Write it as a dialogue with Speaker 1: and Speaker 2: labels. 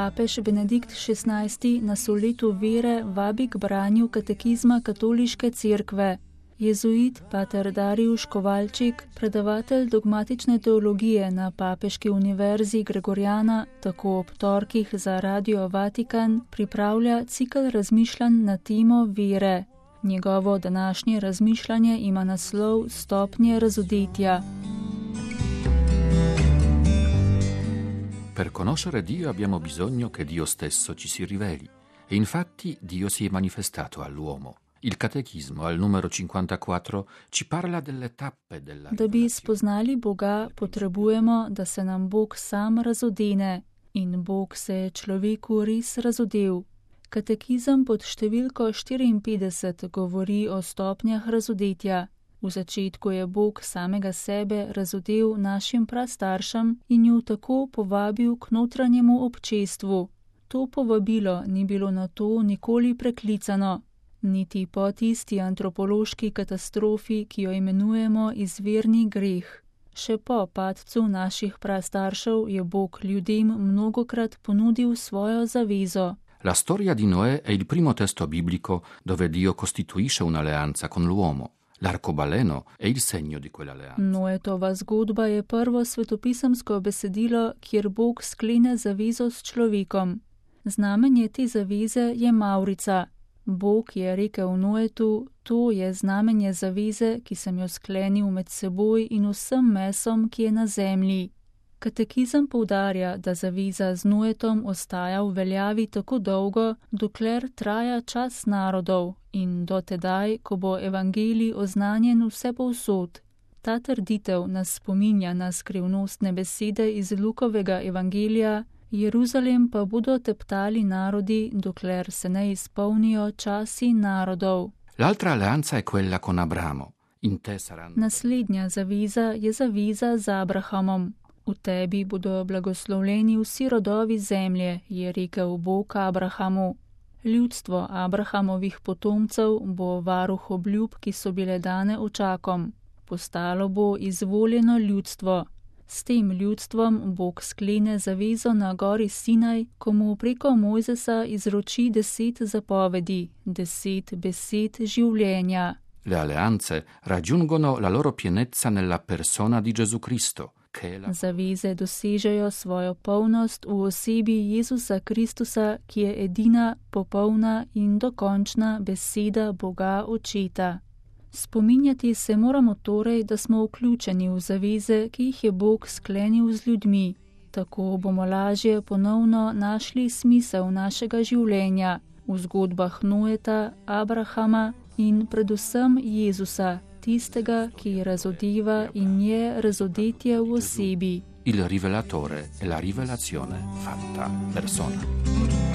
Speaker 1: papež Benedikt XVI nas v letu vere vabi k branju katekizma katoliške cerkve. Jezuit pater Dariusz Kovalčik, predavatelj dogmatične teologije na Papeški univerzi Gregoriana, tako ob torkih za Radio Vatikan pripravlja cikel razmišljanj na temo vere. Njegovo današnje razmišljanje ima naslov Stopnje razodetja.
Speaker 2: Per conoscere Dio abbiamo bisogno che Dio stesso ci si riveli, e infatti Dio si è manifestato all'uomo. Il catechismo al numero 54 ci parla delle tappe della
Speaker 1: Da bi spoznali Boga, potrebujemo, da se nam Bog sam razodene. In Bog se je človeku res razodel. Katekizem pod številko 54 govori o stopnjah razodetja. V začetku je Bog samega sebe razodel našim prastaršem in ju tako povabil k notranjemu občestvu. To povabilo ni bilo na to nikoli preklicano, niti po tisti antropološki katastrofi, ki jo imenujemo izvirni greh. Še po padcu naših prastaršev je Bog ljudem mnogokrat ponudil svojo zavezo.
Speaker 2: La storia di Noè è il primo testo biblico dove Dio costituisce un'alleanza con l'uomo. L'arcobaleno è il segno di quell'alleanza.
Speaker 1: Noetova zgodba je prvo svetopisemsko besedilo, kjer Bog sklene zavezo s človekom. Znamenje te zaveze je mavrica. Bog je rekel Noetu, to je znamenje zaveze, ki sem jo sklenil med seboj in vsem mesom, ki je na zemlji. Katekizem poudarja, da zaveza z Noetom ostaja v veljavi tako dolgo, dokler traja čas narodov in do tedaj, ko bo evangelij oznanjen vsepovsod. Ta trditev nas spominja na skrivnostne besede iz Lukovega evangelija, Jeruzalem pa bodo teptali narodi, dokler se ne izpolnijo časi narodov.
Speaker 2: L'altra alleanza è quella con Abramo. In te saranno...
Speaker 1: Naslednja zaveza je zaveza z Abrahamom. V tebi bodo blagoslovljeni vsi rodovi zemlje, je rekel Bog Abrahamu. Ljudstvo Abrahamovih potomcev bo varuh obljub, ki so bile dane očakom. Postalo bo izvoljeno ljudstvo. S tem ljudstvom Bog sklene zavezo na gori Sinaj, ko mu preko Mojzesa izroči 10 zapovedi, 10 besed življenja.
Speaker 2: Le alleanze raggiungono la loro pienezza nella persona di Gesù Cristo.
Speaker 1: Zaveze dosežejo svojo polnost v osebi Jezusa Kristusa, ki je edina, popolna in dokončna beseda Boga Očeta. Spominjati se moramo torej, da smo vključeni v zaveze, ki jih je Bog sklenil z ljudmi. Tako bomo lažje ponovno našli smisel našega življenja v zgodbah Noeta, Abrahama in predvsem Jezusa, tistega, ki razodeva in je razodetje v osebi.
Speaker 2: Il rivelatore è la rivelazione fatta persona.